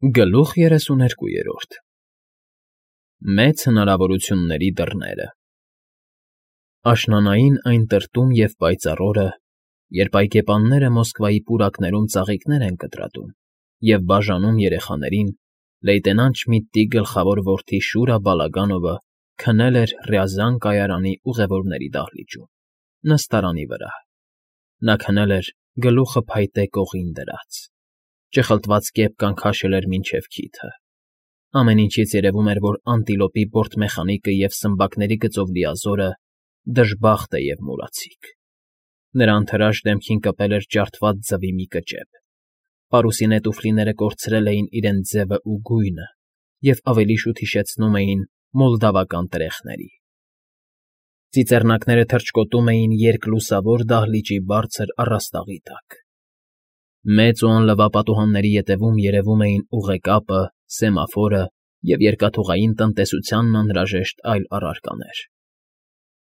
Գլուխ 32 Մեծ հնարավորությունների դռները Աշնանային այն տրտում և պայծառ օրը, երբ այգեպանները Մոսկվայի պուրակներում ծաղիկներ են կտրատում և բաժանում երեխաներին, լեյտենանտ Շմիդտի գլխավոր որդի Շուրա Բալագանովը քնել էր Ռյազան կայարանի ուղևորների դահլիճում, նստարանի վրա. նա քնել էր գլուխը փայտե կողին դրած, ճխլտված կեպկան քաշել էր մինչև քիթը, ամեն ինչից երևում էր, որ անտիլոպի բորտմեխանիկը և սմբակների գծով լիազորը դժբախտ է և մուրացիկ. նրա անթրաշ դեմքին կպել էր ջարդված ձվի մի կճեպ, պարուսինե տուֆլիները կորցրել էին իրենց ձևն ու գույնը և ավելի շուտ հիշեցնում էին մոլդավական տրեխների. ծիծեռնակները թռչկոտում էին երկլուսավոր դահլիճի բարձր առաստաղի տակ. մեծ ու անլվա պատուհանների ետևում երևում էին ուղեկապը, սեմաֆորը և երկաթուղային տնտեսությանն անհրաժեշտ այլ առարկաներ.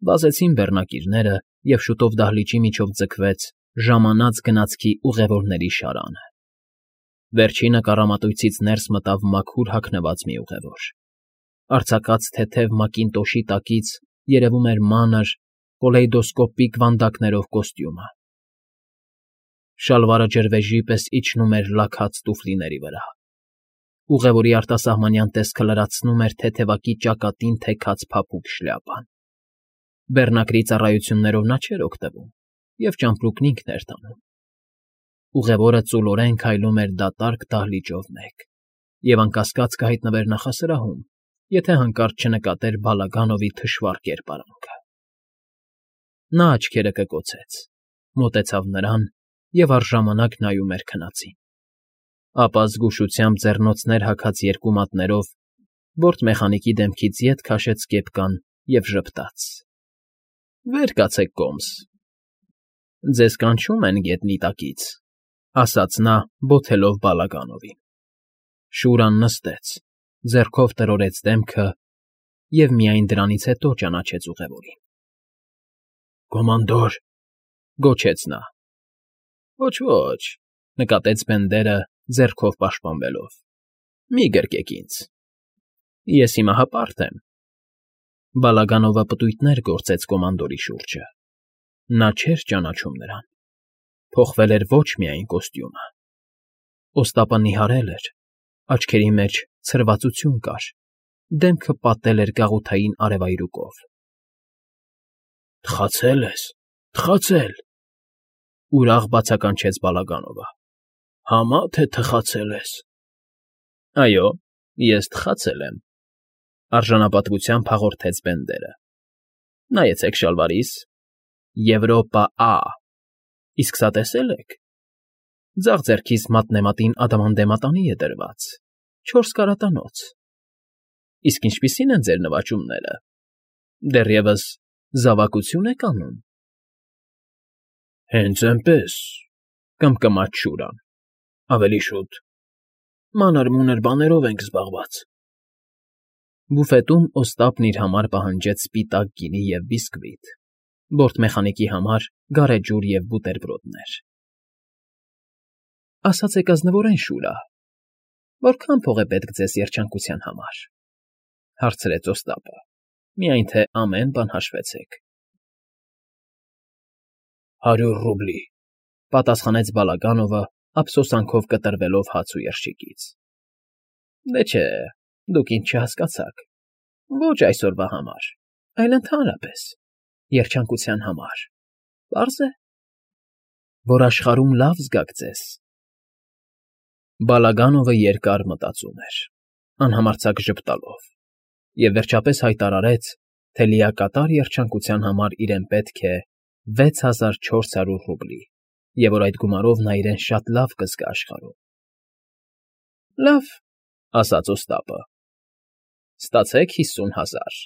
վազեցին բեռնակիրները, և շուտով դահլիճի միջով ձգվեց ժամանած֊գնացքի ուղևորների շարանը. վերջինը կառամատույցից ներս մտավ մաքուր հագնված մի ուղևոր. արձակած թեթև մակինտոշի տակից երևում էր մանր, կոլեյդոսկոպիկ վանդակներով կոստյումը. շալվարը ջրվեժի պես իջնում էր լաքած տուֆլիների վրա. ուղևորի արտասահմանյան տեսքը լրացնում էր թեթևակի ճակատին թեքած փափուկ շլյապան. բեռնակրի ծառայություններով նա չէր օգտվում և ճամպրուկն ինքն էր տանում. ուղևորը ծուլորեն քայլում էր դատարկ դահլիճով մեկ և անկասկած կհայտնվեր նախասրահում, եթե հանկարծ չնկատեր Բալագանովի թշվառ կերպարանքը. նա աչքերը կկոցեց, մոտեցավ նրան և առժամանակ նայում էր քնածին. ապա զգուշությամբ ձեռնոցներ հագած երկու մատներով բորտմեխանիկի դեմքից ետ քաշեց կեպկան և ժպտաց. «Վեր կացեք կոմս»։ «Ձեզ կանչում են գետնի տակից», ասաց նա բոթելով Բալագանովին. Շուրան նստեց, ձեռքով տրորտեց դեմքը և միայն դրանից հետո ճանաչեց ուղևորին. «Կոմանդոր», գոչեց նա. «Ոչ, նկատեց Բենդերը, ձեռքով պաշտպանվելով, մի գրկեք ինձ, ես հիմա հպարտ եմ»։ Բալագանովը պտույտներ գործեց կոմանդորի շուրջը. նա չէր ճանաչում նրան, փոխվել էր ոչ միայն կոստյումը. օստապը նիհարել էր, աչքերի մեջ ցրվածություն կար, դեմքը պատել էր գաղութային արևայրուկով։ «Թխացե՞լ ես, թխացե՞լ», ուրախ բացականչեց Բալագանովը, «համա թե թխացել ես»։ «Այո, ես թխացել եմ», արժանապատվությամբ հաղորդեց Բենդերը. «Նայեցեք շալվարիս. Եվրոպա Ա, իսկ սա տեսե՞լ եք. ձախ ձեռքիս մատնեմատին ադամանդեմատանի է դրված, 4 կարատանոց։ Իսկ ինչպիսի՞ն են ձեր նվաճումները, դեռևս զավակությո՞ւն եք անում»։ «Հենց էնպես», կմկմաց Շուրան, «ավելի շուտ, մանր֊մունր բաներով ենք զբաղված»։ Բուֆետում օստապն իր համար պահանջեց սպիտակ գինի և բիսկվիտ, բորտմեխանիկի համար գարեջուր և բուտերբրոդներ։ «Ասացեք ազնվորեն, Շուրա, որքա՞ն փող է պետք ձեզ երջանկության համար», հարցրեց օստապը, միայն թե ամեն բան հաշվեցեք։ 100 ռուբլի, պատասխանեց Բալագանովը, ափսոսանքով կտրվելով հաց ու երշիկից։ Դե չէ, դուք ինձ չհասկացաք, ոչ այսօրվա համար, այլ ընդհանրապես, երջանկության համար, պարզ է, որ աշխարհում լավ զգաք ձեզ։ Բալագանովը երկար մտածում էր, անհամարձակ ժպտալով, և վերջապես հայտարարեց, թե լիակատար երջանկության համար իրեն պետք է 6400 ռուբլի, և որ այդ գումարով նա իրեն շատ լավ կզգա աշխարհում։ Լավ, ասաց օստապը, ստացեք 50,000։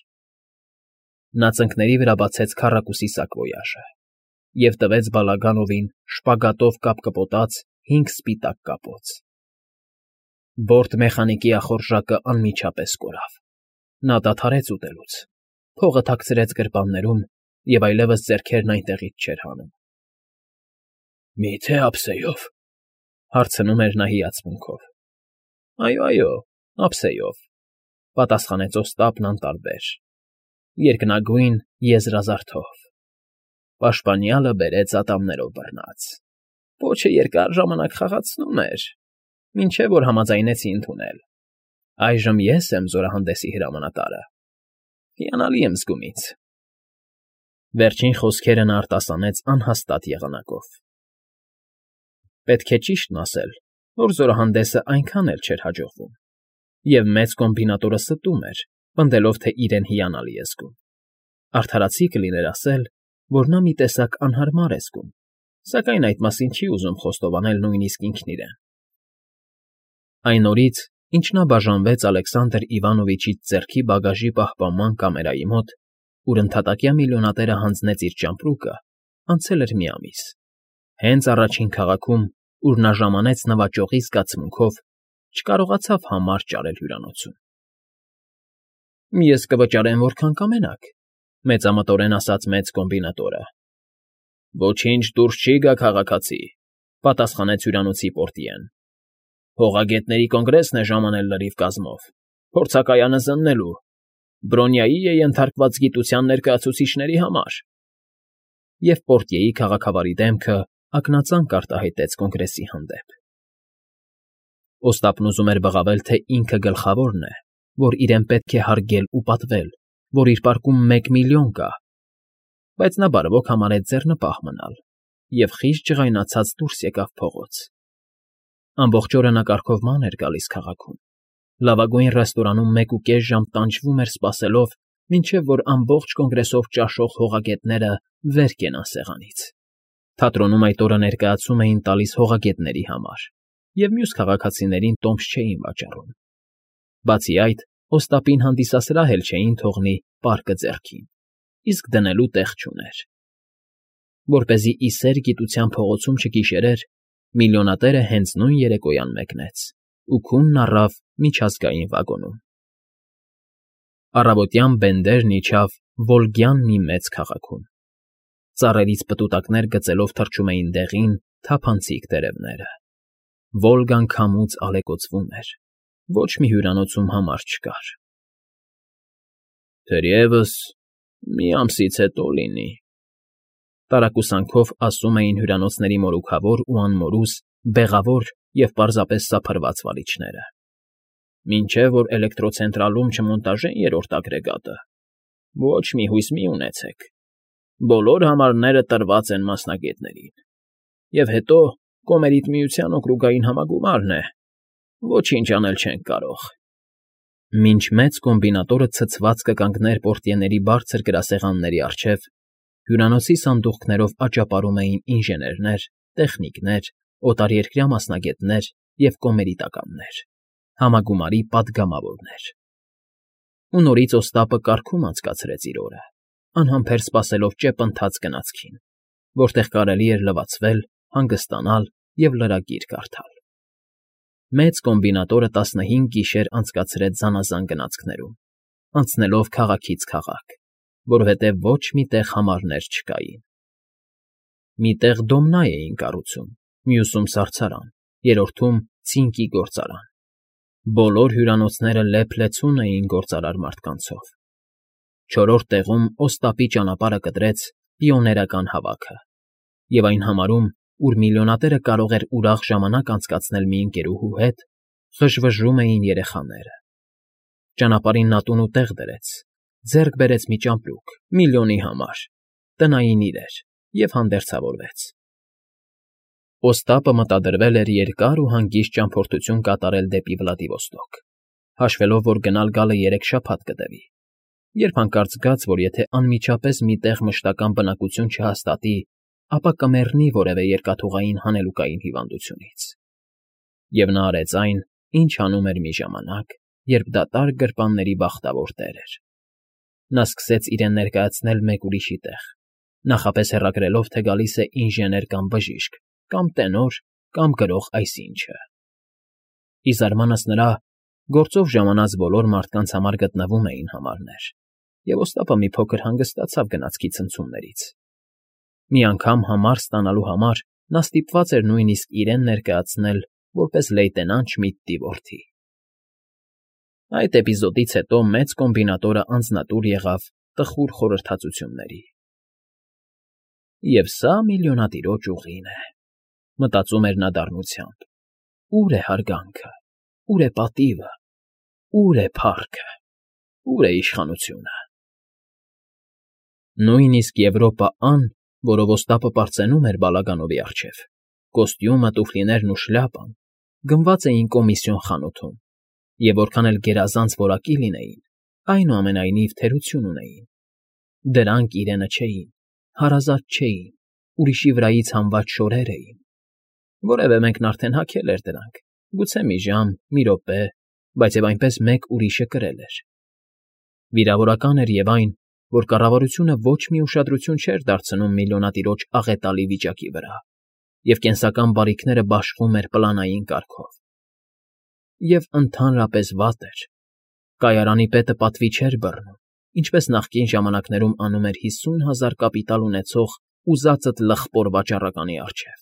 Նա ծնկների վրա բացեց քառակուսի սակվոյաժը և տվեց Բալագանովին շպագատով կապկպոտած 5 սպիտակ կապոց։ Բորտմեխանիկի ախորժակը անմիջապես կորավ։ Նա դադարեց ուտելուց, փողը թաքցրեց գրպաններում և այլևս ձեռքերն այնտեղից չէր հանում։ «Մի՞թե ափսեով», հարցնում էր նա հիացմունքով։ Այո, ափսեով,֊ պատասխանեց Օստապն անտարբեր, երկնագույն եզրազարդով։ Պաշտպանյալը բերեց ատամներով բռնած։ Պոչը երկար ժամանակ խաղացնում էր, մինչև որ համաձայնեցի ընդունել։ Այժմ ես եմ զորահանդեսի հրամանատարը։ Հիանալի եմ զգում ինձ։ Վերջին խոսքերը նա արտասանեց անհաստատ եղանակով։ Պետք է ճիշտն ասել, որ զորահանդեսը այնքան էլ չէր հաջողվում, և մեծ կոմբինատորը ստում էր, պնդելով, թե իրեն հիանալի է զգում։ Արդարացի կլիներ ասել, որ նա մի տեսակ անհարմար է զգում, սակայն այդ մասին չի ուզում խոստովանել նույնիսկ ինքն իրեն։ Այն օրից, ինչ նա բաժանվեց Ալեքսանդր Իվանովիչից ձեռքի բագաժի պահպանման կամերայի մոտ, ուր ընդհատակյա միլիոնատերը հանձնեց իր ճամպրուկը, անցել էր մի ամիս։ Հենց առաջին քաղաքում, ուր նա ժամանեց նվաճողի զգացմունքով, չկարողացավ համար ճարել հյուրանոցում։ Ես կվճարեմ, որքան կամենաք,֊ մեծամտորեն ասաց մեծ կոմբինատորը։ Ոչինչ դուրս չի գա, քաղաքացի,֊ պատասխանեց հյուրանոցի պորտիեն։ Հողագետների կոնգրեսն է ժամանել լրիվ կազմով, փորձակայանը զննելու, Բրոնյայի է ենթարկված գիտության ներկայացուցիչների համար։ Եվ պորտիեի քաղաքավարի դեմքը ակնածանք արտահայտեց կոնգրեսի հանդեպ։ Օստապն ուզում էր բղավել, թե ինքը գլխավորն է, որ իրեն պետք է հարգել ու պատվել, որ իր պարկում 1 միլիոն կա, բայց նա բարվոք համարեց ձեռնպահ մնալ և խիստ ջղայնացած դուրս եկավ փողոց։ Ամբողջ օրը նա կարգովման էր գալիս քաղաքում։ Լավագույն ռեստորանում 1.5 ժամ տանջվում էր սպասելով, մինչև որ ամբողջ կոնգրեսով ճաշող հողագետները վեր կենան սեղանից։ Թատրոնում այդ օրը ներկայացում էին տալիս հողագետների համար, և մյուս քաղաքացիներին տոմս չէին վաճառում։ Բացի այդ, Օստապին հանդիսասրահ էլ չէին թողնի պարկը ձեռքին, իսկ դնելու տեղ չուներ։ Որպեսզի ի սեր գիտության փողոցում չգիշերեր, միլիոնատերը հենց նույն երեկոյան մեկնեց ու քունն առավ միջազգային վագոնում։ Առավոտյան բենդերն իջավ Վոլգյան մի մեծ քաղաքում։ Ծառերից պտուտակներ գծելով թռչում էին դեղին, թափանցիկ տերևները։ Վոլգան քամուց ալեկոծվում էր, ոչ մի հյուրանոցում համար չկար։ Թերևս մի ամսից հետո լինի, տարակուսանքով ասում էին հյուրանոցների մորուքավոր ու անմորուս, բեղավոր և պարզապես սափրված վարիչները։ Մինչև որ էլեկտրոցենտրալում չմոնտաժեն երրորդ ագրեգատը, ոչ մի հույս մի ունեցեք։ Բոլոր համարները տրված են մասնագետներին։ Եվ հետո Կոմերիտ միության օկրուգային համագումարն է, ոչինչ անել չենք կարող։ Մինչ մեծ կոմբինատորը ցցված կկանգներ պորտիեների բարձր գրասեղանների առջև, հյուրանոցի սանդուղքներով աճապարում էին ինժեներներ, տեխնիկներ, օտարերկրյա մասնագետներ և կոմերիտականներ, համագումարի պատգամավորներ։ Ու նորից Օստապը կարգում անցկացրեց իր օրը, անհամբեր սպասելով ճեպընթաց գնացքին, որտեղ կարելի էր լվացվել, հանգստանալ և լրագիր կարդալ։ Մեծ կոմբինատորը 15 գիշեր անցկացրեց զանազան գնացքներում, անցնելով քաղաքից քաղաք, որովհետև ոչ մի տեղ համարներ չկային։ Մի տեղ դոմնա էին կառուցում, մյուսում սարսարան, երրորդում ցինկի գործարան։ Բոլոր հյուրանոցները լեփ-լեցուն էին գործարար մարդկանցով։ Չորրորդ տեղում Օստապի ճանապարհը կտրեց պիոներական հավաքը, և այն համարում, ուր միլիոնատերը կարող էր ուրախ ժամանակ անցկացնել մի ընկերուհու հետ, ղժվժում էին երեխաները։ Ճանապարհին նա տուն ու տեղ դրեց, ձեռք բերեց մի ճամպրուկ, միլիոնի համար, տնային իրեր և հանդերձավորվեց։ Օստապը մտադրվել էր երկար ու հանգիստ ճամփորդություն կատարել դեպի Վլադիվոստոկ, հաշվելով, որ գնալ֊գալը 3 շաբաթ կտևի, երբ հանկարծ զգաց, որ եթե անմիջապես մի տեղ մշտական բնակություն չհաստատի, ապա կմեռնի որևէ երկաթուղային հանելուկային հիվանդությունից։ Եվ նա արեց այն, ինչ անում էր մի ժամանակ, երբ դատարկ գրպանների բախտավոր տեր էր։ Նա սկսեց իրեն ներկայացնել մեկ ուրիշի տեղ, նախապես հեռագրելով, թե գալիս է ինժեներ կամ բժիշկ, կամ տենոր, կամ գրող այսինչը։ Ի զարմանս նրա, գործով ժամանած բոլոր մարդկանց համար գտնվում էին համարներ, և Օստապը մի փոքր հանգստացավ գնացքի ցնցումներից։ Մի անգամ համար ստանալու համար նա ստիպված էր նույնիսկ իրեն ներկայացնել որպես լեյտենանտ Շմիդտի որդի։ Այդ էպիզոդից հետո մեծ կոմբինատորը անձնատուր եղավ տխուր խորհրդածությունների։ Եվ սա միլիոնատիրոջ ուղին է, մտածում էր նա դառնությամբ. ուր է հարգանքը, ուր է պատիվը, ուր է փառքը, ուր է իշխանությունը։ Նույնիսկ Եվրոպա Ան, որով Օստապը պարծենում էր Բալագանովի առջև, կոստյումը, տուֆլիներն ու շլյապան գնված էին կոմիսիոն խանութում, և որքան էլ գերազանց որակի լինեին, այնուամենայնիվ թերություն ունեին։ Դրանք իրենը չէին, հարազատ չէին, ուրիշի վրայից հանված շորեր էին։ Որևէ մեկն արդեն հագել էր դրանք, գուցե մի ժամ, մի րոպե, բայց և այնպես մեկ ուրիշը կրել էր։ Վիրավորական էր և այն, որ կառավարությունը ոչ մի ուշադրություն չէր դարձնում միլիոնատիրոջ աղետալի վիճակի վրա, և կենսական բարիքները բաշխում էր պլանային կարգով։ Եվ ընդհանրապես վատ էր։ Կայարանի պետը պատվի չէր բռնում, ինչպես նախկին ժամանակներում անում էր 50,000 կապիտալ ունեցող ուզածդ լխպոր վաճառականի առջև։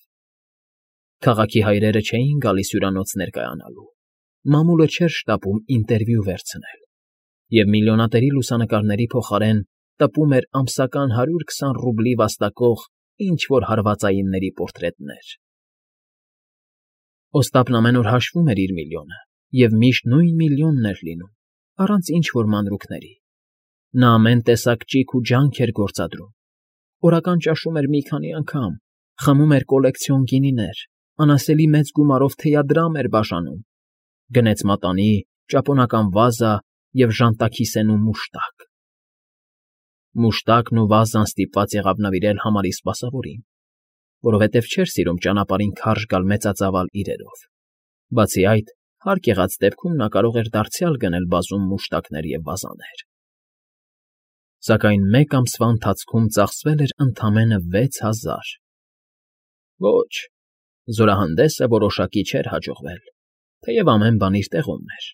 Քաղաքի հայրերը չէին գալիս հյուրանոց ներկայանալու, մամուլը չէր շտապում ինտերվյու վերցնել, և միլիոնատերի լուսանկարների փոխարեն տպում էր ամսական 120 ռուբլի վաստակող ինչ֊որ հարվածայինների պորտրետներ։ Օստապն ամեն օր հաշվում էր իր միլիոնը, և միշտ նույն միլիոնն էր լինում, առանց ինչ֊որ մանրուքների։ Նա ամեն տեսակ ճիգ ու ջանք էր գործադրում, օրական ճաշում էր մի քանի անգամ, խմում էր կոլեկցիոն գինիներ, անասելի մեծ գումարով թեյադրամ էր բաժանում, գնեց մատանի, ճապոնական վազա և ժանտաքիսեն ու մուշտակ։ Մուշտակն ու վազան ստիպված եղավ նվիրել համարի սպասավորին, որովհետև չէր սիրում ճանապարհին քարշ գալ մեծածավալ իրերով։ Բացի այդ, հարկ եղած դեպքում նա կարող էր դարձյալ գնել բազում մուշտակներ և վազաներ։ Սակայն մեկ ամսվա ընթացքում ծախսվել էր ընդամենը 6000։ Ոչ, զորահանդեսը որոշակի չէր հաջողվել, թեև ամեն բան իր տեղում էր։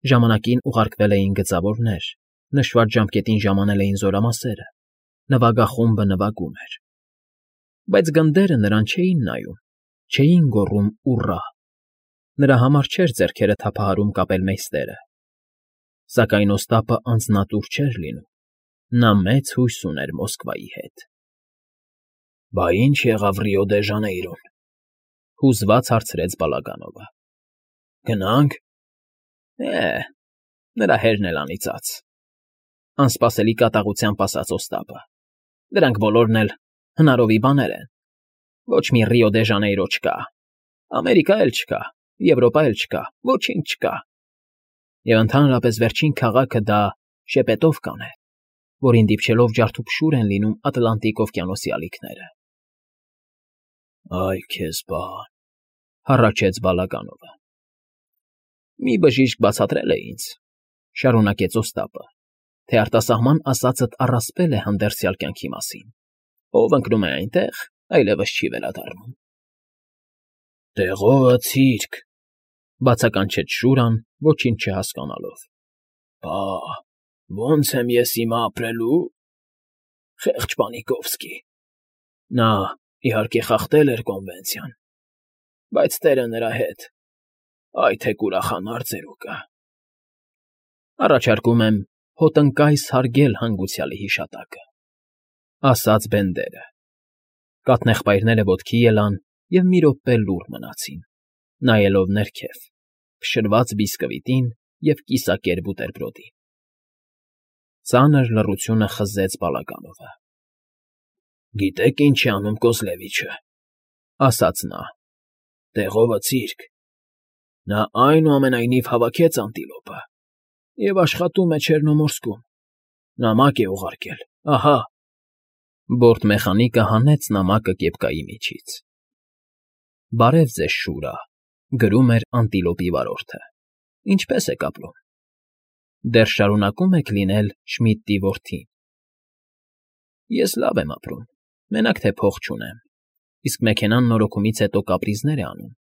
Ժամանակին ուղարկվել էին գծավորներ, նշված ժամկետին ժամանել էին զորամասերը, նվագախումբը նվագում էր։ Բայց գնդերը նրան չէին նայում, չէին գոռում «ուռա»։ Նրա համար չէր ձեռքերը թափահարում կապելմեյստերը։ Սակայն Օստապը անձնատուր չէր լինում, նա մեծ հույս ուներ Մոսկվայի հետ։ Բա ի՞նչ եղավ Ռիո դե Ժանեյրոն,֊ հուզված հարցրեց Բալագանովը։ Գնա՞նք։ Նրա հերն էլ անիծած,֊ անսպասելի կատաղությամբ ասաց Օստապը։ Դրանք բոլորն էլ հնարովի բաներ են։ Ոչ մի Ռիո դե Ժանեյրո չկա, Ամերիկա էլ չկա, Եվրոպա էլ չկա, ոչինչ չկա։ Եվ ընդհանրապես վերջին քաղաքը դա Շեպետովկան է, որին դիպչելով ջարդուփշուր են լինում Ատլանտիկ օվկիանոսի ալիքները։ Այ քեզ բան,֊ հառաչեց Բալագանովը։ Մի բժիշկ բացատրել է ինձ, շարունակեց Օստապը, թե արտասահման ասածդ առասպել է հանդերձյալ կյանքի մասին, ով ընկնում է այնտեղ, այլևս չի վերադառնում։ Տեղովը ցիրկ,֊ բացականչեց Շուրան, ոչինչ չհասկանալով։ Բա ո՞նց եմ ես հիմա ապրելու։ Խեղճ Պանիկովսկի… Նա, իհարկե, խախտել էր կոնվենցիան, բայց տերը նրա հետ… Այ թե կուրախանար ծերուկը… Առաջարկում եմ հոտնկայս հարգել հանգուցյալի հիշատակը,֊ ասաց Բենդերը։ Կաթնեղբայրները ոտքի ելան և մի րոպե լուռ մնացին, նայելով ներքև, փշրված բիսկվիտին և կիսակեր բուտերբրոդին։ Ծանր լռությունը խզեց Բալագանովը։ Գիտե՞ք ինչ է անում Կոզլևիչը,֊ ասաց նա։ Տեղովը ցիրկ… Նա այնուամենայնիվ հավաքեց անտիլոպը և աշխատում է Չեռնոմորսկում, նամակ է ուղարկել, ահա… Բորտմեխանիկը հանեց նամակը կեպկայի միջից։ Բարև ձեզ, Շուրա,֊ գրում էր անտիլոպի վարորդը, ինչպե՞ս եք ապրում։ Դեռ շարունակում եք լինել Շմիդտի որդին։ Ես լավ եմ ապրում, մենակ թե փող չունեմ, իսկ մեքենան նորոգումից հետո կապրիզներ է անում,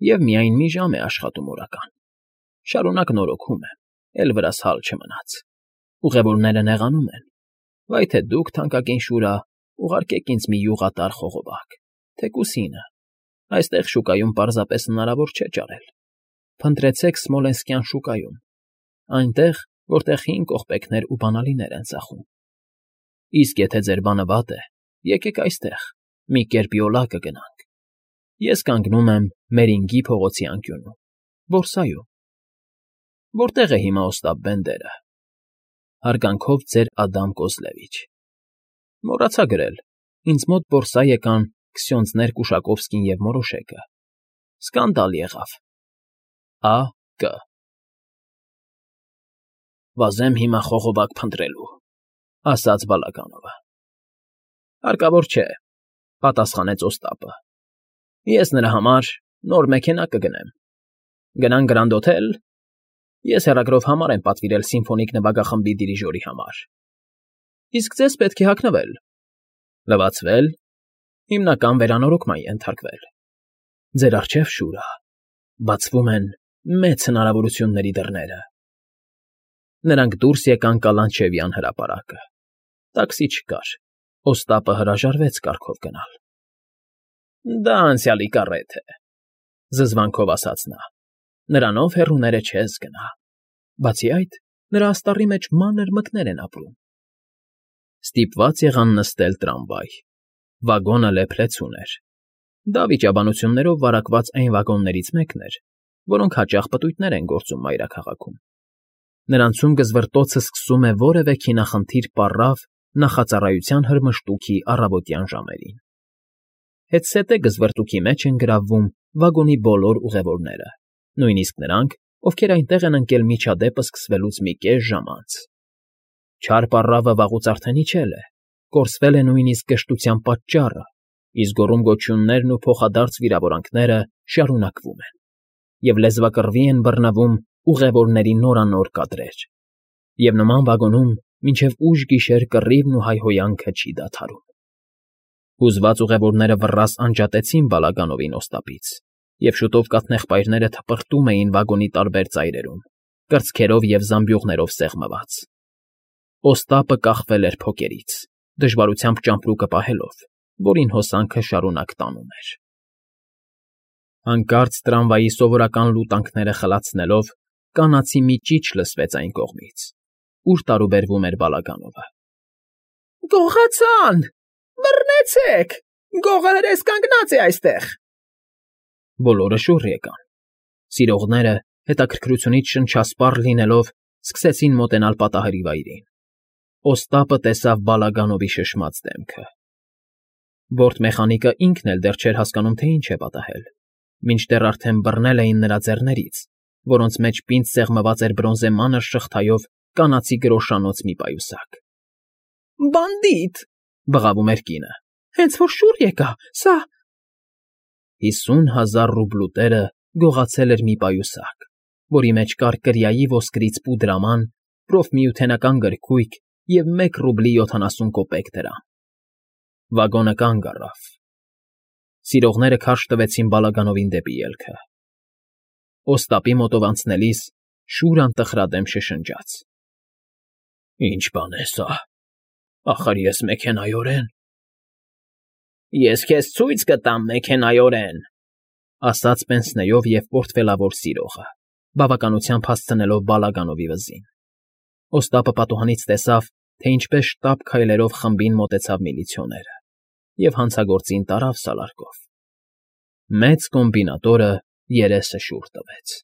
և միայն մի ժամ է աշխատում օրական։ Շարունակ նորոգում եմ, էլ վրաս հալ չմնաց։ Ուղևորները նեղանում են. Վայ թե դուք, թանկագին Շուրա, ուղարկեք ինձ մի յուղատար խողովակ, թեկուզ հինը, այստեղ շուկայում պարզապես հնարավոր չէ ճարել։ Փնտրեցեք Սմոլենսկյան շուկայում, Այնտեղ, որտեղ հին կողպեքներ ու բանալիներ են ծախում։ Իսկ եթե ձեր բանը վատ է, եկեք այստեղ, մի կերպ յոլա կգնանք։ Ես կանգնում եմ Մերինգի փողոցի անկյունում, որսայում։ Որտե՞ղ է հիմա Օստապ Բենդերը։ Հարգանքով ձեր Ադամ Կոզլևիչ։ Մոռացա գրել, ինձ մոտ որսա եկան Քսյոնդներ Կուշակովսկին և Մորոշեկը։ Սկանդալ եղավ։ Ա.Կ. Վազեմ հիմա խողովակ փնտրելու, ասաց Բալագանովը։ Հարկավոր չէ, պատասխանեց Օստապը։ Ես նրա համար նոր մեքենա կգնեմ։ Գնանք Գրանդ Հոթել։ Ես հեռագրով համար եմ պատվիրել սիմֆոնիկ նվագախմբի դիրիժորի համար։ Իսկ ձեզ պետք է հագնվել։ Լվացվել, հիմնական վերանորոգման ենթարկվել։ Ձեր առջև շուր ա, բացվում են մեծ հնարավորությունների դռները։ Նրանք դուրս եկան Կալանչևյան հրապարակը։ Տաքսի չկար, Օստապը հրաժարվեց կառքով գնալ։ Դա անցյալի կառեթ է, զզվանքով ասաց նա։ Նրանով հեռուները չես գնա։ Բացի այդ, նրա աստառի մեջ մանր մկներ են ապրում։ Ստիպված եղան նստել տրամվայ։ Վագոնը լեփլեցուն էր։ Դա վիճաբանություններով վարակված այն վագոններից մեկն էր, որոնք հաճախ պտույտներ են գործում մայրաքաղաքում։ Նրանցում գզվռտոցը սկսում է որևէ քինախնդիր պառավ նախածառայության հրմշտուքի առավոտյան ժամերին։ Հետսետե գզվռտուքի մեջ են գրավվում վագոնի բոլոր ուղևորները, նույնիսկ նրանք, ովքեր այնտեղ են ընկել միջադեպը սկսվելուց մի կես ժամ անց։ Չար պառավը վաղուց արդեն իջել է, կորսվել է նույնիսկ գժտության պատճառը, իսկ գոռում-գոչյուններն ու փոխադարձ վիրավորանքները շարունակվում են, և լեզվակռվի են բռնվում ուղևորների նորանոր կադրեր, և նման վագոնում մինչև ուշ գիշեր կռիվն ու հայհոյանքը չի դադարում։ Հուզված ուղևորները վռռաս անջատեցին Բալագանովին Օստապից, և շուտով կաթնեղբայրները թպրտում էին վագոնի տարբեր ծայրերում, կրծքերով և զամբյուղներով սեղմված։ Օստապը կախվել էր փոկերից, դժվարությամբ ճամպրուկը պահելով, որին հոսանքը շարունակ տանում էր։ Հանկարծ տրամվայի սովորական լուտանքները խլացնելով, կանացի մի ճիչ լսվեց այն կողմից, ուր տարուբերվում էր Բալագանովը։ Գողացան, բռնեցեք, գողը հրես կանգնած է այստեղ։ Բոլորը շուռ եկան։ Սիրողները, հետաքրքրությունից շնչասպառ լինելով, սկսեցին մոտենալ պատահարի վայրին։ Օստապը տեսավ Բալագանովի շշմած դեմքը։ Բորտմեխանիկը ինքն էլ դեռ չէր հասկանում, թե ինչ է պատահել, մինչդեռ արդեն բռնել էին նրա ձեռներից, որոնց մեջ պինդ սեղմված էր բրոնզե մանր շղթայով կանացի գրոշանոց մի պայուսակ։ Բանդիտ, բղավում էր կինը, հենց որ շուռ եկա, սա… 50,000 ռուբլու գողացել էր մի պայուսակ, որի մեջ կար կրիայի ոսկրից պուդրաման, պրոֆմիութենական գրքույկ և 1 ռուբլի 70 կոպեկ դրամ։ Վագոնը կանգ առավ։ Սիրողները քարշ տվեցին Բալագանովին դեպի ելքը։ Օստապի մոտով անցնելիս շուր անտխրադեմ շշնջաց. Ինչ բան է սա, ախր ես մեքենայորեն… Ես քեզ ցույց կտամ մեքենայորեն, ասաց պենսնեով և պորտֆելավոր սիրողը, բավականությամբ հասցնելով Բալագանովի վզին։ Օստապը պատուհանից տեսավ, թե ինչպես շտապ քայլերով խմբին մոտեցավ միլիցիոները և հանցագործին տարավ սալարկով։ Մեծ կոմբինատորը երեսը շուռ տվեց։